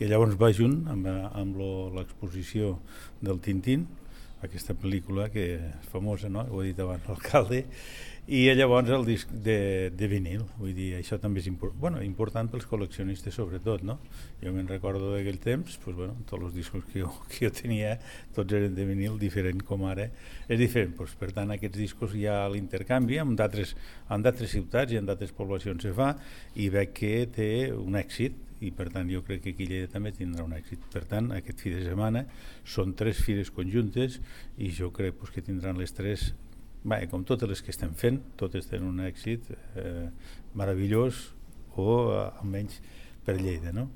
que llavors va junt amb l'exposició del Tintín, aquesta pel·lícula que és famosa, no? Ho he dit abans, l'alcalde, i llavors el disc de vinil. Vull dir, això també és important pels col·leccionistes sobretot, no? Jo me'n recordo d'aquell temps, tots els discos que jo tenia, tots eren de vinil, diferent com ara. És diferent, per tant, aquests discos hi ha l'intercanvi, en d'altres ciutats i en d'altres poblacions se fa, i veig que té un èxit, i per tant jo crec que aquí a Lleida també tindrà un èxit. Per tant, aquest fi de setmana són 3 fires conjuntes i jo crec que tindran les 3, com totes les que estem fent, totes tenen un èxit meravellós, o almenys per Lleida, no?